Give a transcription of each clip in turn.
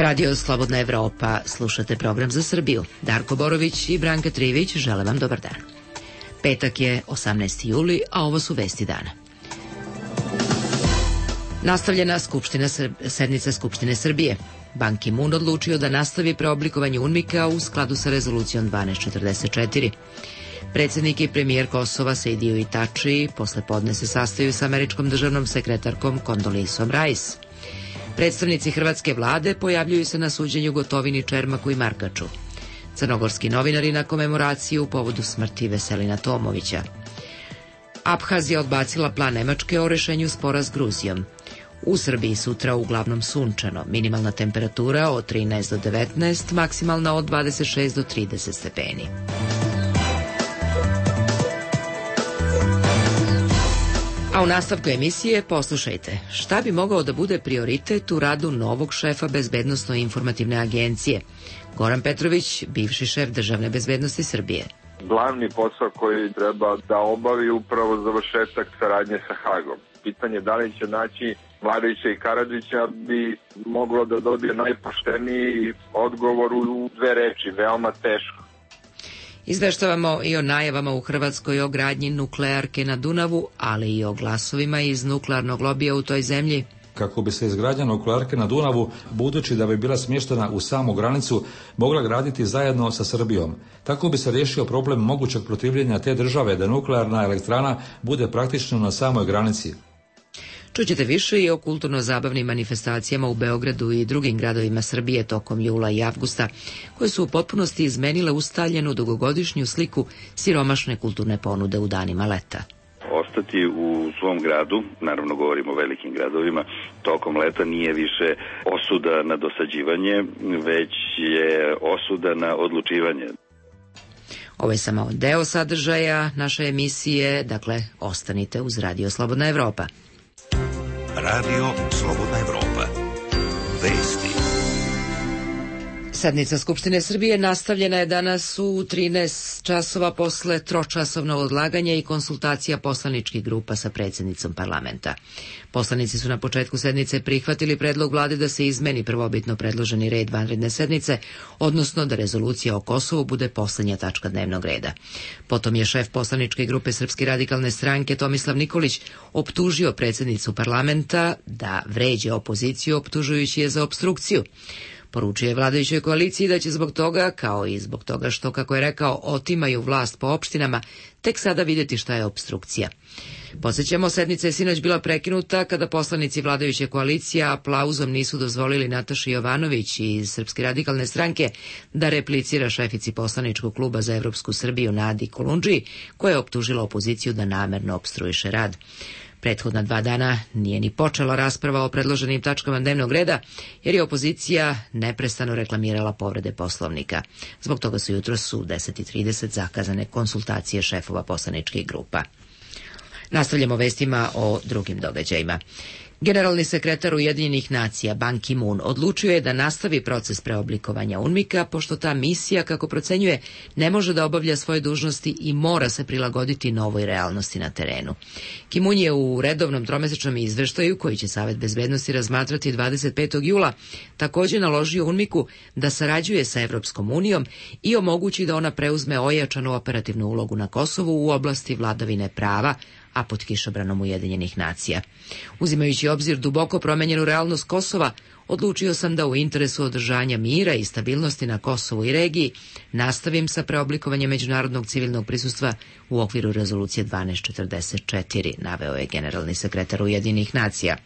Radio Slobodna Evropa, slušate program za Srbiju. Darko Borović i Branka Trivić žele vam dobar dan. Petak je 18. juli, a ovo su vesti dana. Nastavljena sednica Skupštine Srbije. Ban Ki-moon odlučio da nastavi preoblikovanje UNMIK-a u skladu sa rezolucijom 1244. Predsjednik i premijer Kosova Sejdiu Tači posle podne se sastaju sa američkom državnom sekretarkom Kondolisom Rice. Predstavnici hrvatske vlade pojavljuju se na suđenju Gotovini, Čermaku i Markaču. Crnogorski novinari na komemoraciju u povodu smrti Veselina Tomovića. Abhazija odbacila plan Nemačke o rešenju spora s Gruzijom. U Srbiji sutra uglavnom sunčano, minimalna temperatura od 13 do 19, maksimalna od 26 do 30 stepeni. A u nastavku emisije poslušajte šta bi mogao da bude prioritet u radu novog šefa Bezbednosno-informativne agencije. Goran Petrović, bivši šef Državne bezbednosti Srbije. Glavni posao koji treba da obavi upravo završetak saradnje sa Hagom. Pitanje da li će naći Mladića i Karadžića bi moglo da dobije najpošteniji odgovor u dve reči, veoma teško. Izveštavamo i o najavama u Hrvatskoj o gradnji nuklearke na Dunavu, ali i o glasovima iz nuklearnog lobija u toj zemlji. Kako bi se izgradnja nuklearke na Dunavu, budući da bi bila smještena u samu granicu, mogla graditi zajedno sa Srbijom. Tako bi se riješio problem mogućeg protivljenja te države da nuklearna elektrana bude praktično na samoj granici. Čućete više i o kulturno-zabavnim manifestacijama u Beogradu i drugim gradovima Srbije tokom jula i avgusta, koje su u potpunosti izmenile ustaljenu dugogodišnju sliku siromašne kulturne ponude u danima leta. Ostati u svom gradu, naravno govorimo o velikim gradovima, tokom leta nije više osuda na dosađivanje, već je osuda na odlučivanje. Ovo je samo deo sadržaja naše emisije, dakle ostanite uz Radio Slobodna Evropa. Radio Slobodna Evropa. Vesti. Sednica Skupštine Srbije nastavljena je danas u 13 časova posle tročasovnog odlaganja i konsultacija poslaničkih grupa sa predsjednicom parlamenta. Poslanici su na početku sednice prihvatili predlog vlade da se izmeni prvobitno predloženi red vanredne sednice, odnosno da rezolucija o Kosovu bude poslednja tačka dnevnog reda. Potom je šef poslaničke grupe Srpske radikalne stranke Tomislav Nikolić optužio predsjednicu parlamenta da vređe opoziciju optužujući je za opstrukciju. Poručio je vladajućoj koaliciji da će zbog toga, kao i zbog toga što, kako je rekao, otimaju vlast po opštinama, tek sada vidjeti šta je opstrukcija. Podsjećamo, sednica je sinoć bila prekinuta kada poslanici vladajuće koalicije aplauzom nisu dozvolili Nataši Jovanović iz Srpske radikalne stranke da replicira šefici poslaničkog kluba za Evropsku Srbiju Nadi Kolundžiji, koja je optužila opoziciju da namerno opstruiše rad. Prethodna 2 dana nije ni počela rasprava o predloženim tačkama dnevnog reda, jer je opozicija neprestano reklamirala povrede Poslovnika. Zbog toga su jutros u 10:30 zakazane konsultacije šefova poslaničkih grupa. Nastavljamo vestima o drugim događajima. Generalni sekretar Ujedinjenih nacija Ban Ki-moon odlučio je da nastavi proces preoblikovanja UNMIK-a, pošto ta misija, kako procenjuje, ne može da obavlja svoje dužnosti i mora se prilagoditi novoj realnosti na terenu. Ki-moon je u redovnom tromesečnom izveštaju, koji će Savet bezbednosti razmatrati 25. jula, također naložio UNMIK-u da sarađuje sa Evropskom unijom i omogući da ona preuzme ojačanu operativnu ulogu na Kosovu u oblasti vladavine prava, a pod kišobranom Ujedinjenih nacija. Uzimajući obzir duboko promenjenu realnost Kosova, odlučio sam da u interesu održanja mira i stabilnosti na Kosovu i regiji nastavim sa preoblikovanjem međunarodnog civilnog prisustva u okviru rezolucije 1244, naveo je generalni sekretar Ujedinjenih nacija.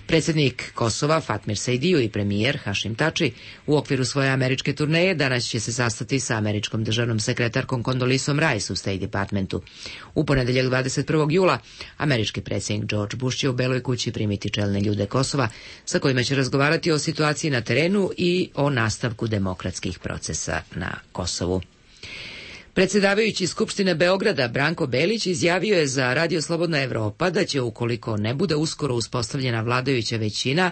Predsjednik Kosova Fatmir Sejdiu i premijer Hašim Tači u okviru svoje američke turneje danas će se sastati sa američkom državnom sekretarkom Kondolisom Rice u State Departmentu. U ponedeljak 21. jula američki predsjednik George Bush će u Beloj kući primiti čelne ljude Kosova sa kojima će razgovarati o situaciji na terenu i o nastavku demokratskih procesa na Kosovu. Predsjedavajući Skupštine Beograda Branko Belić izjavio je za Radio Slobodna Evropa da će, ukoliko ne bude uskoro uspostavljena vladajuća većina,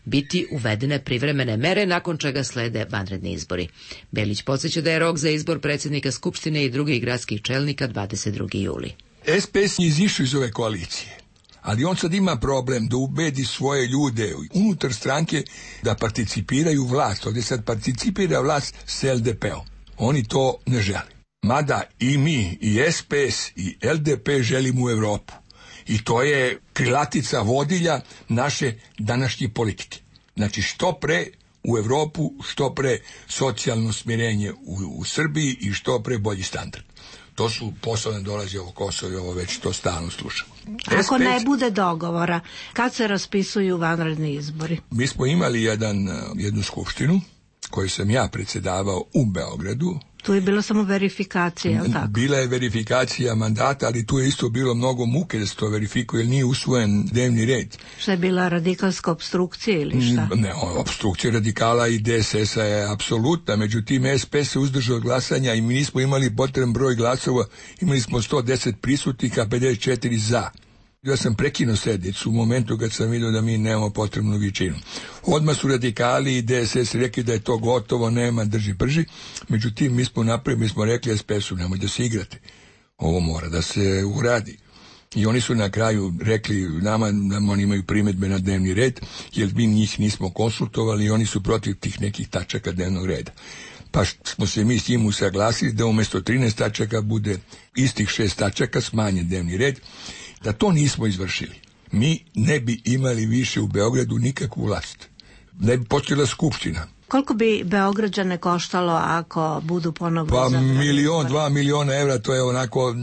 biti uvedene privremene mere, nakon čega slede vanredni izbori. Belić podsjeća da je rok za izbor predsjednika Skupštine i drugih gradskih čelnika 22. juli. SPS je izišao iz ove koalicije, Ali on sad ima problem da ubedi svoje ljude unutar stranke da participiraju vlast. Ovdje sad participira vlast s LDP-om. Oni to ne žele. Mada i mi, i SPS, i LDP želimo u Evropu. I to je krilatica vodilja naše današnje politike. Znači što pre u Evropu, što pre socijalno smirenje u Srbiji i što pre bolji standard. To su poslovne dolaze ovo Kosovo i ovo već to stalno slušamo. Ako ne bude dogovora, kad se raspisuju vanredni izbori? Mi smo imali jednu skupštinu koju sam ja predsjedavao u Beogradu. Tu je bilo samo verifikacija, je li tako? Bila je verifikacija mandata, ali tu je isto bilo mnogo muke da se to verifikuje, jer nije usvojen dnevni red. Šta je bila radikalska opstrukcija ili šta? Ne, opstrukcija radikala i DSS-a je apsolutna, međutim SPS se uzdržao od glasanja i mi nismo imali potreban broj glasova, imali smo 110 prisutnih, a 54 za. Ja sam prekinuo sednicu u momentu kad sam vidio da mi nemamo potrebnu većinu. Odmah su radikali i DSS rekli da je to gotovo, nema drži prži. Međutim, mi smo rekli SPS-u, nemoj da se igrate. Ovo mora da se uradi. I oni su na kraju rekli nama da oni imaju primjedbe na dnevni red, jer mi njih nismo konsultovali i oni su protiv tih nekih tačaka dnevnog reda. Pa smo se mi s njim usaglasili da umjesto 13 tačaka bude istih 6 tačaka, smanjen dnevni red. Da to nismo izvršili, mi ne bi imali više u Beogradu nikakvu vlast. Ne bi počela skupština. Koliko bi Beograđane koštalo ako budu ponovno Pa izabrani? 1-2 miliona evra, to je onako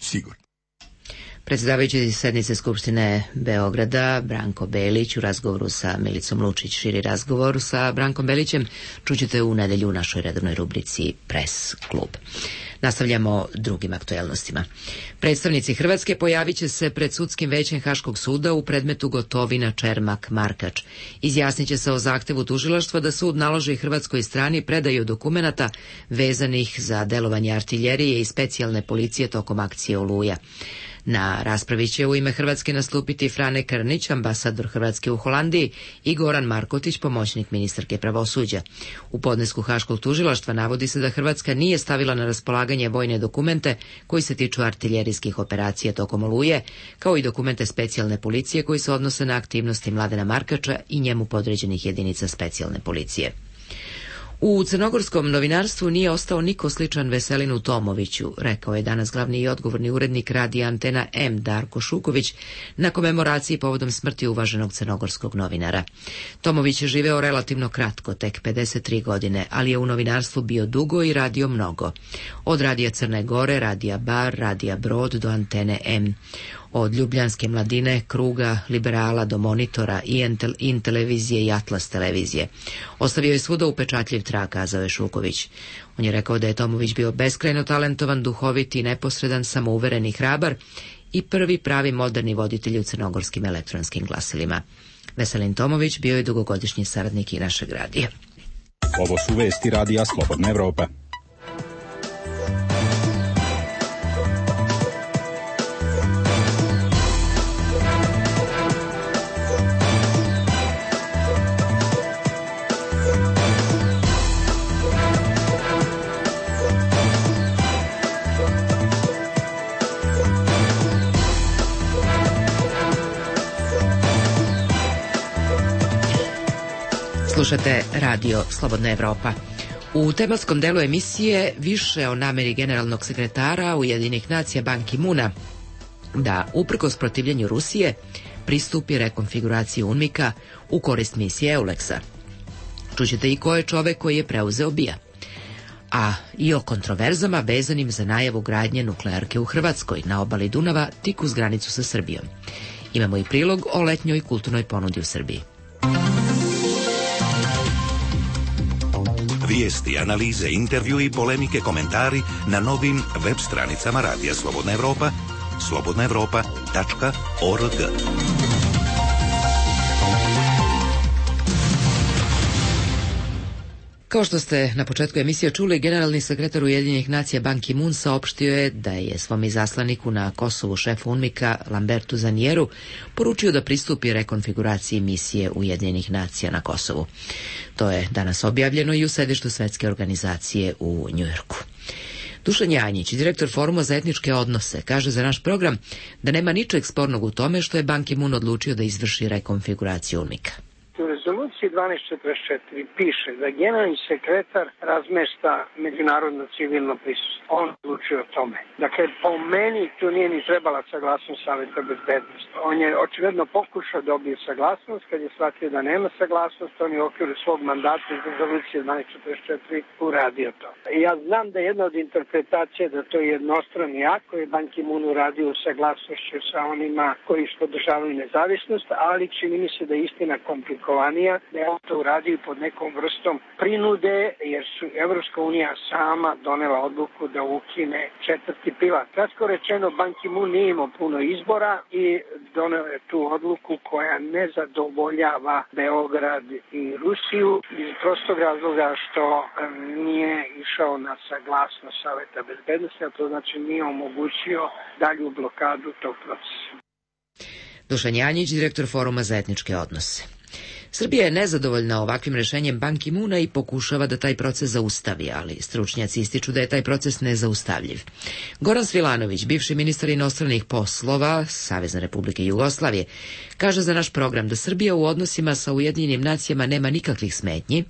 sigurno. Predsjedavajući sednice Skupštine Beograda, Branko Belić, u razgovoru sa Milicom Lučić. Širi razgovor sa Brankom Belićem čućete u nedelju u našoj redovnoj rubrici Press klub. Nastavljamo drugim aktuelnostima. Predstavnici Hrvatske pojavit će se pred sudskim većem Haškog suda u predmetu Gotovina, Čermak, Markač. Izjasnit će se o zahtevu tužilaštva da sud naloži hrvatskoj strani predaju dokumenata vezanih za delovanje artiljerije i specijalne policije tokom akcije Oluja. Na raspravi će u ime Hrvatske nastupiti Frane Krnić, ambasador Hrvatske u Holandiji, i Goran Markotić, pomoćnik ministarke pravosuđa. U podnesku Haškog tužilaštva navodi se da Hrvatska nije stavila na raspolaganje vojne dokumente koji se tiču artiljerijskih operacija tokom Oluje, kao i dokumente specijalne policije koji se odnose na aktivnosti Mladena Markača i njemu podređenih jedinica specijalne policije. U crnogorskom novinarstvu nije ostao niko sličan Veselinu Tomoviću, rekao je danas glavni i odgovorni urednik radija Antena M Darko Šuković na komemoraciji povodom smrti uvaženog crnogorskog novinara. Tomović je živeo relativno kratko, tek 53 godine, ali je u novinarstvu bio dugo i radio mnogo. Od radija Crne Gore, radija Bar, radija Brod do Antene M. Od Ljubljanske mladine, Kruga, Liberala do Monitora, In televizije i Atlas televizije. Ostavio je svuda upečatljiv trag, kazao je Šuković. On je rekao da je Tomović bio beskrajno talentovan, duhovit i neposredan, samouveren i hrabar i prvi pravi moderni voditelj u crnogorskim elektronskim glasilima. Veselin Tomović bio je dugogodišnji saradnik i našeg radija. Ovo su vesti radija Slobodna Evropa. Slušate radio Slobodna Evropa. U tematskom delu emisije više o nameri generalnog sekretara Ujedinjenih nacija Ban Ki-moona da, uprkos protivljenju Rusije, pristupi rekonfiguraciji UNMIK-a u korist misije EULEX-a. Čućete i ko je čovek koji je preuzeo BIA. A i o kontroverzama vezanim za najavu gradnje nuklearke u Hrvatskoj na obali Dunava tik uz granicu sa Srbijom. Imamo i prilog o letnjoj kulturnoj ponudi u Srbiji. Vijesti, analize, intervju i polemike, komentari na novim web stranicama Radija Slobodna Evropa, slobodnaevropa.org. Kao što ste na početku emisije čuli, generalni sekretar Ujedinjenih nacija Ban Ki-moon saopštio je da je svom izaslaniku na Kosovu, šefu UNMIK-a Lambertu Zanijeru, poručio da pristupi rekonfiguraciji misije Ujedinjenih nacija na Kosovu. To je danas objavljeno i u sedištu Svetske organizacije u Njujorku. Dušan Janjić, direktor Foruma za etničke odnose, kaže za naš program da nema ničeg spornog u tome što je Ban Ki-moon odlučio da izvrši rekonfiguraciju UNMIK-a. U rezoluciji 1244 piše da generalni sekretar razmešta međunarodno civilno prisustvo. On odlučuje o tome. Dakle, po meni tu nije ni trebala saglasnost Saveta bezbednosti. On je očigledno pokušao da dobije saglasnost, kad je shvatio da nema saglasnost, on je u okviru svog mandata iz rezolucije 1244 uradio to. Ja znam da je jedna od interpretacija da to je jednostrani akt koji je Ban Ki-moon uradio u saglasnošću sa onima koji podržavaju nezavisnost, ali čini mi se da je istina komplikovanija, da je on to uradio pod nekom vrstom prinude, jer su Evropska unija sama donela odluku da ukine četvrti pilar. Kratko rečeno, Ban Ki-moon nije imao puno izbora i doneo je tu odluku koja ne zadovoljava Beograd i Rusiju iz prostog razloga što nije išao na saglasnost Saveta bezbednosti, a to znači nije omogućio dalju blokadu tog procesa. Dušan Janjić, direktor Foruma za etničke odnose. Srbija je nezadovoljna ovakvim rešenjem Ban Ki-moona i pokušava da taj proces zaustavi, ali stručnjaci ističu da je taj proces nezaustavljiv. Goran Svilanović, bivši ministar inostranih poslova Savezne Republike Jugoslavije, kaže za naš program da Srbija u odnosima sa Ujedinjenim nacijama nema nikakvih smetnji,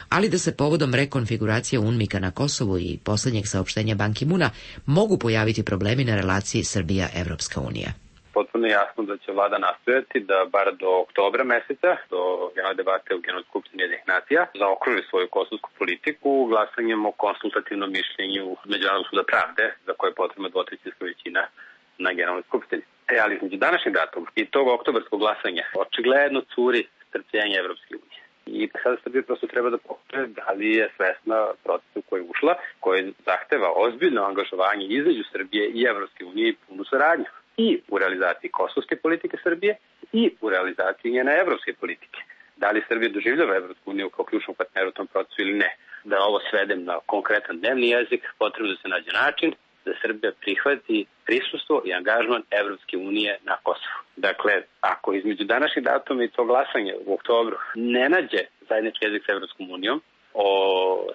ali da se povodom rekonfiguracije UNMIK-a na Kosovu i poslednjeg saopštenja Ban Ki-moona mogu pojaviti problemi na relaciji Srbija-Evropska unija. Potpuno jasno da će vlada nastojati da bar do oktobra meseca, do generalne debate u Generalnoj skupštini Ujedinjenih nacija, zaokruži svoju kosovsku politiku glasanjem o konsultativnom mišljenju Međunarodnog suda pravde, za koje je potrebna dvotrećinska većina na Generalnoj skupštini. Ali između današnjeg datuma i tog oktobarskog glasanja očigledno curi strpljenje Evropske unije. I sada Srbija prosto treba da pokaže da li je svesna procesu koji je ušla, koji zahteva ozbiljno angažovanje između Srbije i Evropske unije i punu saradnju. I u realizaciji kosovske politike Srbije i u realizaciji njene evropske politike. Da li Srbija doživljava Evropsku uniju kao ključnog partnera u tom procesu ili ne? Da ovo svedem na konkretan dnevni jezik, potrebno da se nađe način da Srbija prihvati prisustvo i angažman Evropske unije na Kosovu. Dakle, ako između današnjeg datuma i to glasanje u oktobru ne nađe zajednički jezik sa Evropskom unijom o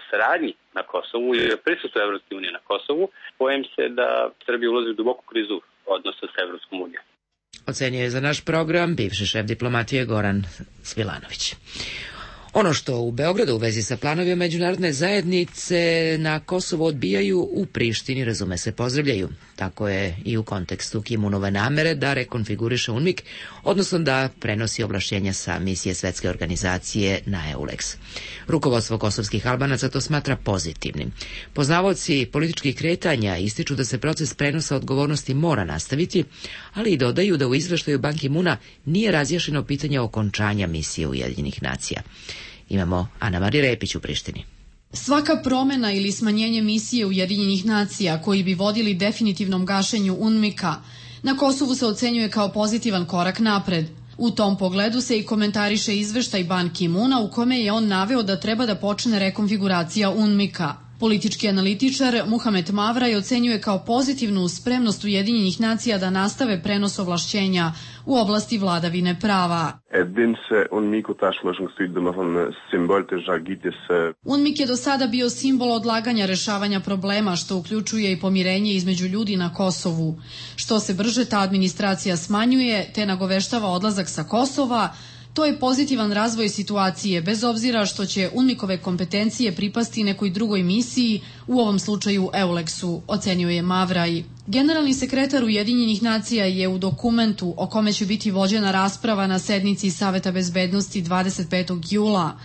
saradnji na Kosovu ili o prisustvu Evropske unije na Kosovu, bojim se da Srbija ulazi u duboku krizu odnosa sa Evropskom unijom. Ocenio je za naš program bivši šef diplomatije Goran Svilanović. Ono što u Beogradu u vezi sa planovima međunarodne zajednice na Kosovo odbijaju, u Prištini, razume se, pozdravljaju. Tako je i u kontekstu Ki-moonove namere da rekonfiguriše UNMIK, odnosno da prenosi ovlašćenja sa misije Svetske organizacije na EULEX. Rukovodstvo kosovskih Albanaca to smatra pozitivnim. Poznavaoci političkih kretanja ističu da se proces prenosa odgovornosti mora nastaviti, ali i dodaju da u izveštaju Ban Ki-moona nije razjašnjeno pitanje okončanja misije Ujedinjenih nacija. Imamo Ana Marija Repić u Prištini. Svaka promena ili smanjenje misije Ujedinjenih nacija koji bi vodili definitivnom gašenju UNMIK-a na Kosovu se ocenjuje kao pozitivan korak napred. U tom pogledu se i komentariše izveštaj Ban Ki-moona u kome je on naveo da treba da počne rekonfiguracija UNMIK-a. Politički analitičar Muhamed Mavraj ocenjuje kao pozitivnu spremnost Ujedinjenih nacija da nastave prenos ovlašćenja u oblasti vladavine prava. UNMIK je do sada bio simbol odlaganja rešavanja problema, što uključuje i pomirenje između ljudi na Kosovu. Što se brže ta administracija smanjuje, te nagoveštava odlazak sa Kosova, to je pozitivan razvoj situacije, bez obzira što će UNMIK-ove kompetencije pripasti nekoj drugoj misiji, u ovom slučaju EULEX-u, ocenio je Mavraj. Generalni sekretar Ujedinjenih nacija je u dokumentu o kome će biti vođena rasprava na sednici Saveta bezbednosti 25. jula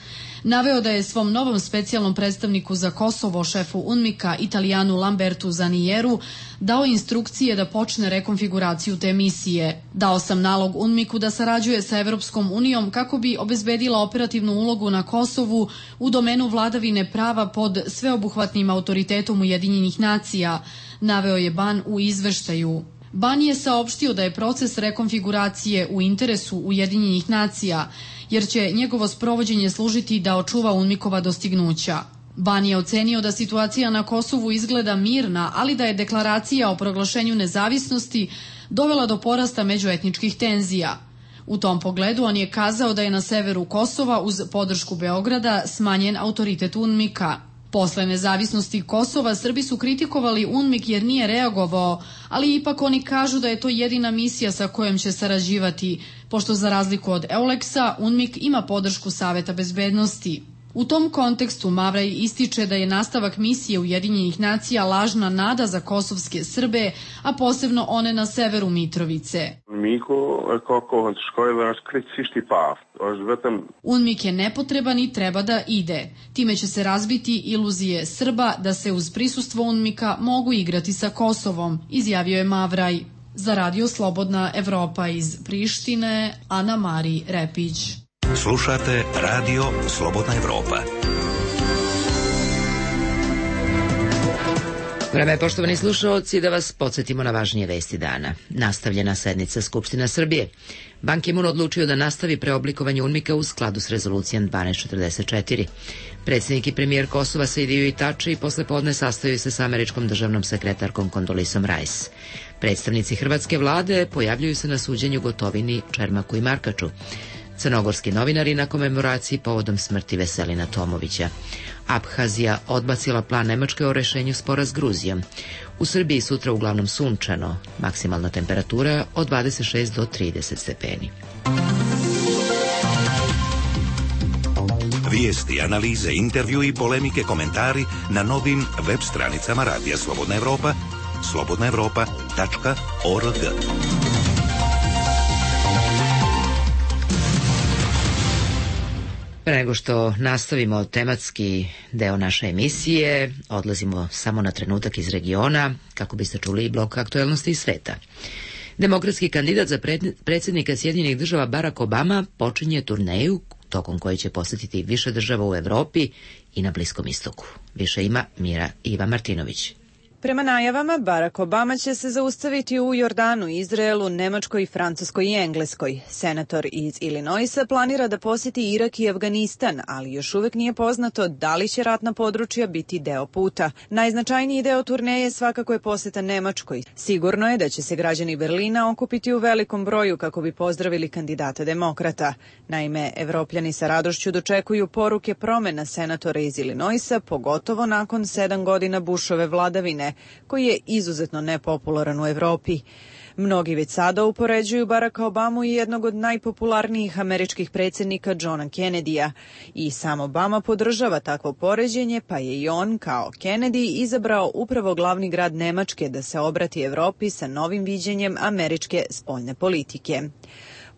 naveo da je svom novom specijalnom predstavniku za Kosovo, šefu UNMIK-a, Italijanu Lambertu Zanieru, dao instrukcije da počne rekonfiguraciju te misije. Dao sam nalog UNMIK-u da sarađuje sa Evropskom unijom kako bi obezbedila operativnu ulogu na Kosovu u domenu vladavine prava pod sveobuhvatnim autoritetom Ujedinjenih nacija, naveo je Ban u izveštaju. Ban je saopštio da je proces rekonfiguracije u interesu Ujedinjenih nacija, jer će njegovo sprovođenje služiti da očuva UNMIK-ova dostignuća. Ban je ocenio da situacija na Kosovu izgleda mirna, ali da je deklaracija o proglašenju nezavisnosti dovela do porasta međuetničkih tenzija. U tom pogledu on je kazao da je na severu Kosova uz podršku Beograda smanjen autoritet UNMIK-a. Posle nezavisnosti Kosova Srbi su kritikovali UNMIK jer nije reagovao, ali ipak oni kažu da je to jedina misija sa kojom će sarađivati, pošto za razliku od EULEX-a UNMIK ima podršku Saveta bezbednosti. U tom kontekstu Mavraj ističe da je nastavak misije Ujedinjenih nacija lažna nada za kosovske Srbe, a posebno one na severu Mitrovice. UNMIK je nepotreban i treba da ide. Time će se razbiti iluzije Srba da se uz prisustvo UNMIK-a mogu igrati sa Kosovom, izjavio je Mavraj. Za Radio Slobodna Evropa iz Prištine, Ana Mari Repić. Slušate Radio Slobodna Evropa. Vreme je, poštovani slušaoci, da vas podsjetimo na važnije vesti dana. Nastavljena sednica Skupština Srbije. Ban Ki-moon odlučio da nastavi preoblikovanje UNMIK-a u skladu s rezolucijom 1244. Predsjednik i premijer Kosova Sejdiju Itači i posle podne sastaju se sa američkom državnom sekretarkom Kondolisom Rice. Predstavnici hrvatske vlade pojavljuju se na suđenju Gotovini, Čermaku i Markaču. Crnogorski novinari na komemoraciji povodom smrti Veselina Tomovića. Abhazija odbacila plan Nemačke o rešenju spora s Gruzijom. U Srbiji sutra uglavnom sunčano, maksimalna temperatura od 26 do 30 stepeni. Vijesti, analize, intervju i polemike, komentari na novim web stranicama Radija Slobodna Evropa, slobodnaevropa.org. Pre nego što nastavimo tematski deo naše emisije, odlazimo samo na trenutak iz regiona, kako biste čuli i blok aktuelnosti iz sveta. Demokratski kandidat za predsjednika Sjedinjenih država Barack Obama počinje turneju tokom koje će posjetiti više država u Evropi i na Bliskom istoku. Više ima Mira Iva Martinović. Prema najavama, Barack Obama će se zaustaviti u Jordanu, Izraelu, Nemačkoj, Francuskoj i Engleskoj. Senator iz Illinoisa planira da posjeti Irak i Afganistan, ali još uvek nije poznato da li će ratna područja biti deo puta. Najznačajniji deo turneje svakako je posjeta Nemačkoj. Sigurno je da će se građani Berlina okupiti u velikom broju kako bi pozdravili kandidata demokrata. Naime, Evropljani sa radošću dočekuju poruke promena senatora iz Illinoisa, pogotovo nakon 7 godina Bushove vladavine, koji je izuzetno nepopularan u Evropi. Mnogi već sada upoređuju Baracka Obamu i jednog od najpopularnijih američkih predsjednika Johna Kennedyja. I sam Obama podržava takvo poređenje, pa je i on, kao Kennedy, izabrao upravo glavni grad Nemačke da se obrati Evropi sa novim viđenjem američke spoljne politike.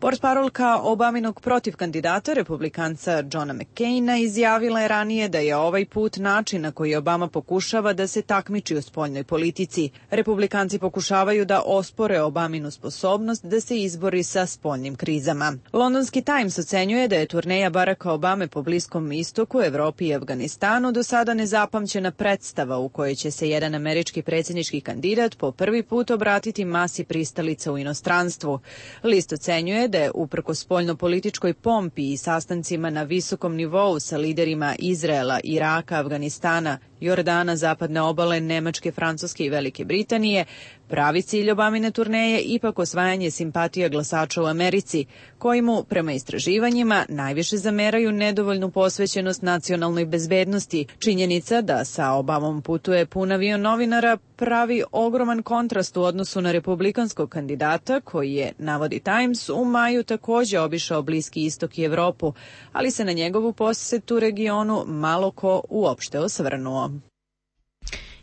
Portparolka Obaminog protivkandidata, republikanca Johna McCaina, izjavila je ranije da je ovaj put način na koji Obama pokušava da se takmiči u spoljnoj politici. Republikanci pokušavaju da ospore Obaminu sposobnost da se izbori sa spoljnim krizama. Londonski Times ocenjuje da je turneja Baracka Obame po Bliskom istoku, Evropi i Afganistanu do sada nezapamćena predstava u kojoj će se jedan američki predsjednički kandidat po prvi put obratiti masi pristalica u inostranstvu. List ocenjuje da je uprkos spoljno-političkoj pompi i sastancima na visokom nivou sa liderima Izraela, Iraka, Afganistana, Jordana, Zapadne obale, Nemačke, Francuske i Velike Britanije, pravi cilj Obamine turneje ipak osvajanje simpatija glasača u Americi, koji mu, prema istraživanjima, najviše zameraju nedovoljnu posvećenost nacionalnoj bezbednosti. Činjenica da sa Obamom putuje pun avion novinara pravi ogroman kontrast u odnosu na republikanskog kandidata, koji je, navodi Times, u maju takođe obišao Bliski istok i Evropu, ali se na njegovu posetu regionu malo ko uopšte osvrnuo.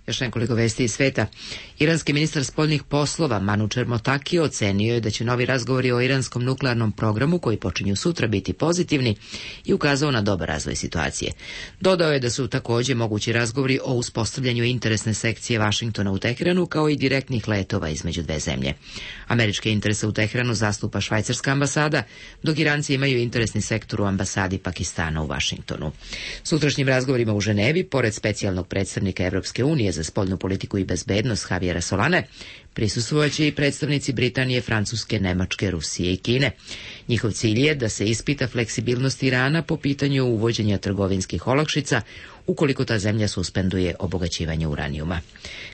Još nekoliko vesti iz sveta. Iranski ministar spoljnih poslova Manučer Motaki ocenio je da će novi razgovori o iranskom nuklearnom programu, koji počinju sutra, biti pozitivni i ukazao na dobar razvoj situacije. Dodao je da su takođe mogući razgovori o uspostavljanju interesne sekcije Vašingtona u Teheranu, kao i direktnih letova između dve zemlje. Američke interese u Teheranu zastupa švajcarska ambasada, dok Iranci imaju interesni sektor u ambasadi Pakistana u Vašingtonu. Sutrašnjim razgovorima u Ženevi, pored specijalnog predstavnika Evropske unije za spoljnu politiku i bezbednost Javiera Solane, prisustvovaće i predstavnici Britanije, Francuske, Nemačke, Rusije i Kine. Njihov cilj je da se ispita fleksibilnost Irana po pitanju uvođenja trgovinskih olakšica ukoliko ta zemlja suspenduje obogaćivanje uranijuma.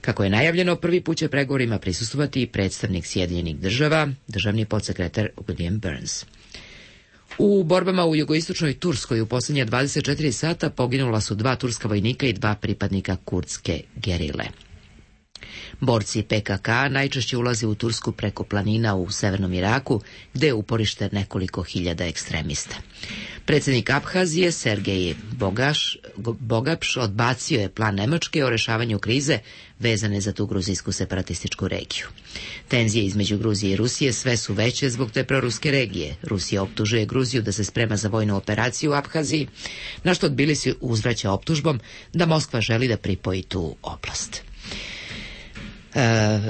Kako je najavljeno, prvi put će pregovorima prisustvovati i predstavnik Sjedinjenih država, državni podsekretar William Burns. U borbama u jugoistočnoj Turskoj u posljednja 24 sata poginula su 2 turska vojnika i 2 pripadnika kurdske gerile. Borci PKK najčešće ulaze u Tursku preko planina u severnom Iraku, gde je uporište nekoliko hiljada ekstremista. Predsjednik Abhazije Sergej Bogapš odbacio je plan Nemačke o rešavanju krize vezane za tu gruzijsku separatističku regiju. Tenzije između Gruzije i Rusije sve su veće zbog te proruske regije. Rusija optužuje Gruziju da se sprema za vojnu operaciju u Abhaziji, na što Tbilisi uzvraća optužbom da Moskva želi da pripoji tu oblast.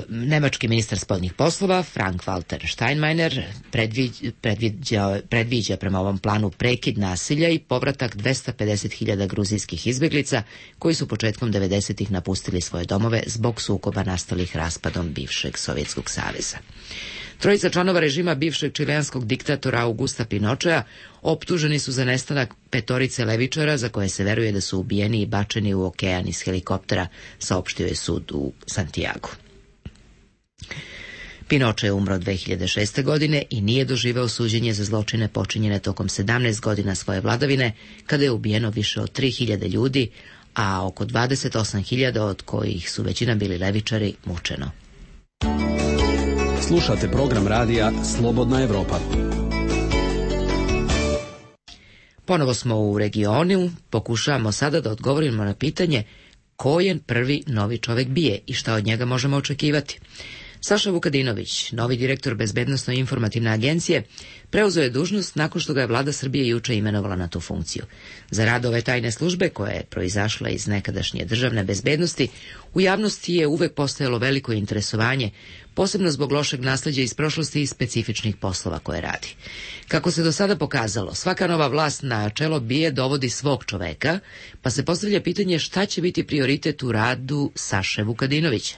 Nemački ministar spoljnih poslova Frank-Walter Steinmeier predviđa prema ovom planu prekid nasilja i povratak 250.000 gruzijskih izbjeglica koji su početkom 90-ih napustili svoje domove zbog sukoba nastalih raspadom bivšeg Sovjetskog saveza. Trojica članova režima bivšeg čileanskog diktatora Augusta Pinochea optuženi su za nestanak 5 levičara za koje se veruje da su ubijeni i bačeni u okean iz helikoptera, saopštio je sud u Santiagu. Pinoche je umro 2006. godine i nije doživeo suđenje za zločine počinjene tokom 17 godina svoje vladavine, kada je ubijeno više od 3.000 ljudi, a oko 28.000 od kojih su većina bili levičari mučeno. Slušate program radija Slobodna Evropa. Ponovo smo u regionu, pokušavamo sada da odgovorimo na pitanje ko je prvi novi čovek BIA i šta od njega možemo očekivati. Saša Vukadinović, novi direktor Bezbednosno-informativne agencije, preuzeo je dužnost nakon što ga je vlada Srbije juče imenovala na tu funkciju. Za rad ove tajne službe, koja je proizašla iz nekadašnje državne bezbednosti, u javnosti je uvek postojalo veliko interesovanje, posebno zbog lošeg nasleđa iz prošlosti i specifičnih poslova koje radi. Kako se do sada pokazalo, svaka nova vlast na čelo BIA dovodi svog čoveka, pa se postavlja pitanje šta će biti prioritet u radu Saše Vukadinovića.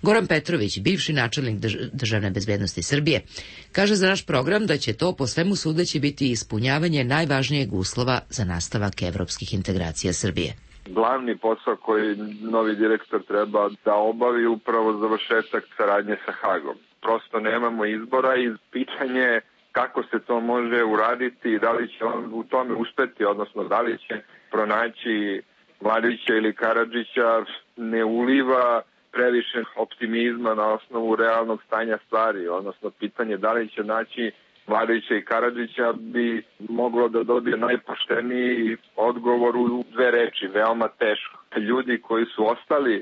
Goran Petrović, bivši načelnik državne bezbednosti Srbije, kaže za naš program da će to po svemu sudeći biti ispunjavanje najvažnijeg uslova za nastavak evropskih integracija Srbije. Glavni posao koji novi direktor treba da obavi upravo završetak saradnje sa Hagom. Prosto nemamo izbora i pitanje kako se to može uraditi i da li će on u tome uspeti, odnosno da li će pronaći Mladića ili Karadžića, ne uliva previše optimizma na osnovu realnog stanja stvari, odnosno pitanje da li će naći Mladića i Karadžića bi moglo da dobije najpošteniji odgovor u 2 reči, veoma teško. Ljudi koji su ostali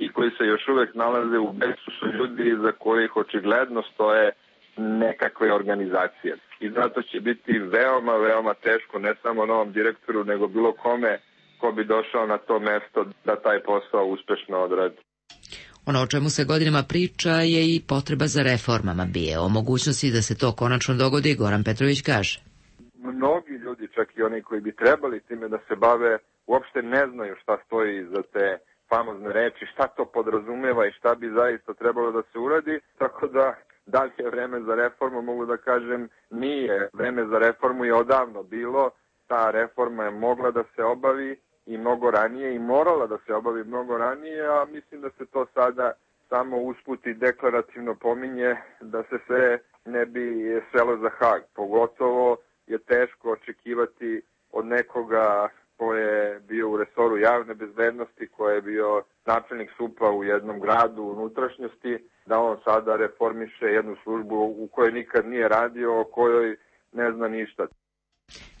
i koji se još uvek nalaze u bekstvu su ljudi za kojih očigledno stoje nekakve organizacije. I zato će biti veoma teško ne samo novom direktoru, nego bilo kome ko bi došao na to mesto da taj posao uspešno odradi. Ono o čemu se godinama priča je i potreba za reformama BIA. O mogućnosti da se to konačno dogodi, Goran Petrović kaže. Mnogi ljudi, čak i oni koji bi trebali time da se bave, uopšte ne znaju šta stoji iza te famozne reči, šta to podrazumeva i šta bi zaista trebalo da se uradi, tako da li je vreme za reformu, mogu da kažem, nije. Vreme za reformu je odavno bilo, ta reforma je mogla da se obavi i mnogo ranije i morala da se obavi mnogo ranije, a mislim da se to sada samo usput i deklarativno pominje da se sve ne bi svelo za Hag. Pogotovo je teško očekivati od nekoga ko je bio u resoru javne bezbednosti, ko je bio načelnik SUP-a u jednom gradu u unutrašnjosti, da on sada reformiše jednu službu u kojoj nikad nije radio, o kojoj ne zna ništa.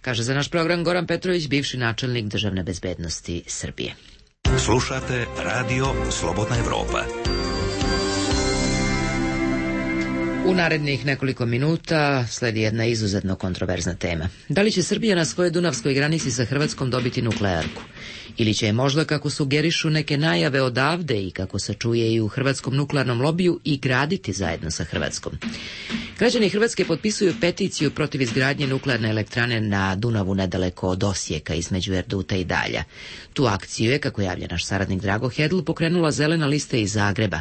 Kaže za naš program Goran Petrović, bivši načelnik državne bezbednosti Srbije. Slušate Radio Slobodna Evropa. U narednih nekoliko minuta sledi jedna izuzetno kontroverzna tema. Da li će Srbija na svojoj dunavskoj granici sa Hrvatskom dobiti nuklearku? Ili će je možda, kako sugerišu neke najave odavde i kako se čuje i u hrvatskom nuklearnom lobiju, i graditi zajedno sa Hrvatskom? Građani Hrvatske potpisuju peticiju protiv izgradnje nuklearne elektrane na Dunavu nedaleko od Osijeka između Erduta i Dalja. Tu akciju je, kako javlja naš saradnik Drago Hedl, pokrenula Zelena lista iz Zagreba.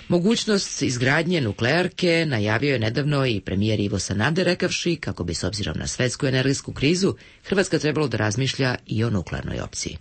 Mogućnost izgradnje nuklearke najavio je nedavno i premijer Ivo Sanader, rekavši kako bi s obzirom na svetsku energetsku krizu Hrvatska trebalo da razmišlja i o nuklearnoj opciji.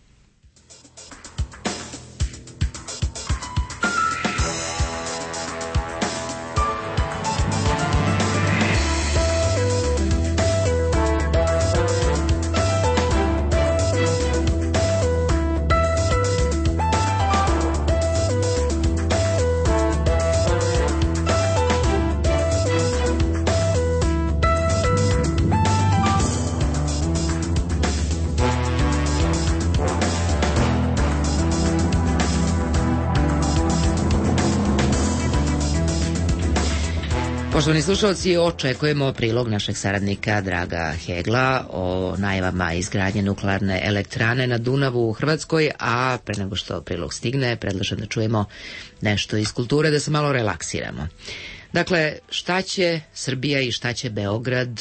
Poštovani slušalci, očekujemo prilog našeg saradnika Draga Hegla o najavama izgradnje nuklearne elektrane na Dunavu u Hrvatskoj, a pre nego što prilog stigne, predlažem da čujemo nešto iz kulture, da se malo relaksiramo. Dakle, šta će Srbija i šta će Beograd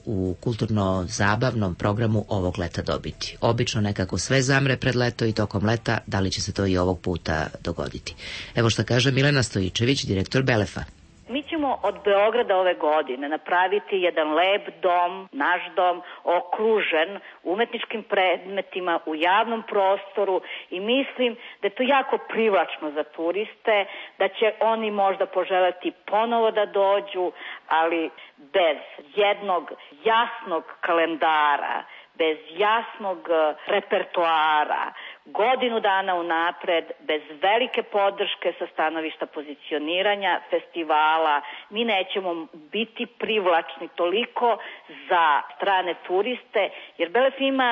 u kulturno-zabavnom programu ovog leta dobiti? Obično nekako sve zamre pred leto i tokom leta, da li će se to i ovog puta dogoditi? Evo šta kaže Milena Stojičević, direktor Belefa. Mi ćemo od Beograda ove godine napraviti jedan lep dom, naš dom, okružen umetničkim predmetima u javnom prostoru i mislim da je to jako privlačno za turiste, da će oni možda poželjeti ponovo da dođu, ali bez jednog jasnog kalendara, bez jasnog repertoara, godinu dana unapred, bez velike podrške sa stanovišta pozicioniranja festivala, mi nećemo biti privlačni toliko za strane turiste, jer Belef ima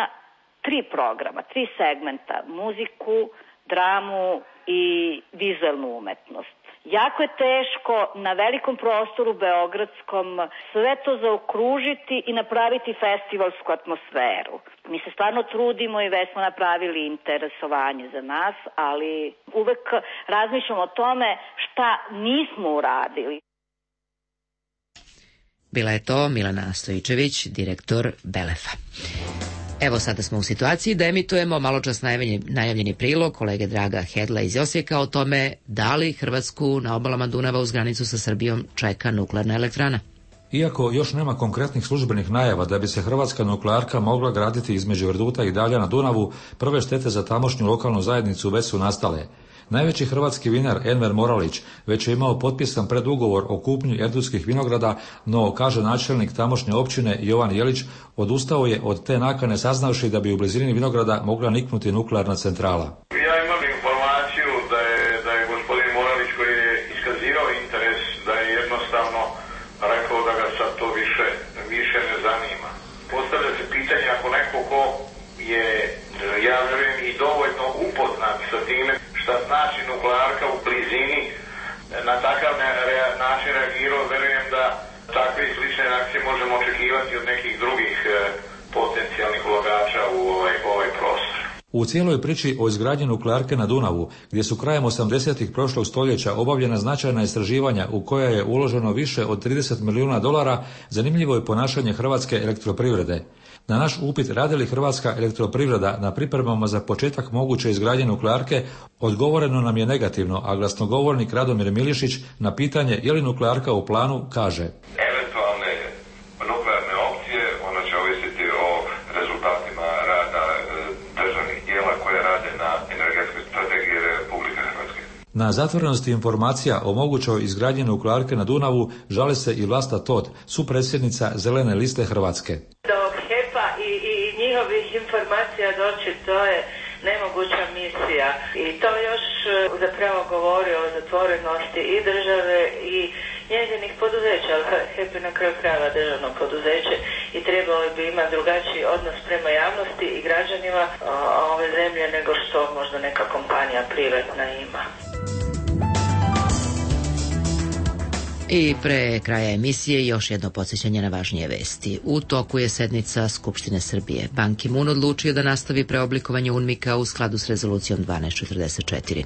3 programa, 3 segmenta, muziku, dramu i vizuelnu umetnost. Jako je teško na velikom prostoru beogradskom sve to zaokružiti i napraviti festivalsku atmosferu. Mi se stvarno trudimo i već smo napravili interesovanje za nas, ali uvek razmišljamo o tome šta nismo uradili. Bila je to Milena Stojičević, direktor Belefa. Evo sada smo u situaciji da emitujemo maločas najavljeni prilog kolege Draga Hedla iz Osijeka o tome da li Hrvatsku na obalama Dunava uz granicu sa Srbijom čeka nuklearna elektrana. Iako još nema konkretnih službenih najava da bi se hrvatska nuklearka mogla graditi između Erduta i Dalja na Dunavu, prve štete za tamošnju lokalnu zajednicu već su nastale. Najveći hrvatski vinar Enver Moralić već je imao potpisan predugovor o kupnji erdutskih vinograda, no, kaže načelnik tamošnje općine Jovan Jelić, odustao je od te nakane saznavši da bi u blizini vinograda mogla niknuti nuklearna centrala. Ja imam informaciju da je gospodin Moralić, koji je iskazivao interes, da je jednostavno rekao da ga sad to više ne zanima. Postavlja se pitanje, ako neko ko je, ja vjerujem, i dovoljno upoznat sa time šta znači nuklearka u blizini, na takav način reagirao, vjerujem da takve i slične reakcije možemo očekivati od nekih drugih potencijalnih ulagača u ovaj prostor. U cijeloj priči o izgradnji nuklearke na Dunavu, gdje su krajem 80-ih prošlog stoljeća obavljena značajna istraživanja u koja je uloženo više od $30 milijuna, zanimljivo je ponašanje Hrvatske elektroprivrede. Na naš upit radi li Hrvatska elektroprivreda na pripremama za početak moguće izgradnje nuklearke, odgovoreno nam je negativno, a glasnogovornik Radomir Milišić na pitanje je li nuklearka u planu kaže: Eventualne nuklearne opcije, ono će ovisiti o rezultatima rada državnih tijela koje rade na energetskoj strategiji Republike Hrvatske. Na zatvorenosti informacija o mogućoj izgradnji nuklearke na Dunavu žali se i Vlasta Tot, supredsjednica Zelene liste Hrvatske. Njihovih informacija doći, to je nemoguća misija i to još zapravo govori o zatvorenosti i države i njezinih poduzeća. HEP je na kraju krajeva državno poduzeće i trebalo bi imati drugačiji odnos prema javnosti i građanima ove zemlje nego što možda neka kompanija privatna ima. I pre kraja emisije još jedno podsjećanje na važnije vesti. U toku je sednica Skupštine Srbije. Ban Ki-moon odlučio da nastavi preoblikovanje UNMIK-a u skladu s rezolucijom 1244.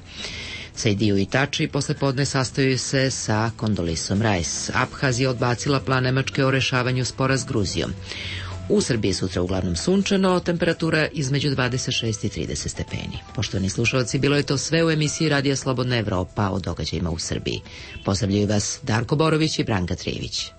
Sejdiu i Tači posle podne sastaju se sa Kondolisom Rice. Abhazija odbacila plan Nemačke o rešavanju spora s Gruzijom. U Srbiji sutra uglavnom sunčano, temperatura između 26 i 30 stepeni. Poštovani slušalci, bilo je to sve u emisiji Radija Slobodna Evropa o događajima u Srbiji. Pozdravljaju vas Darko Borović i Branka Trijević.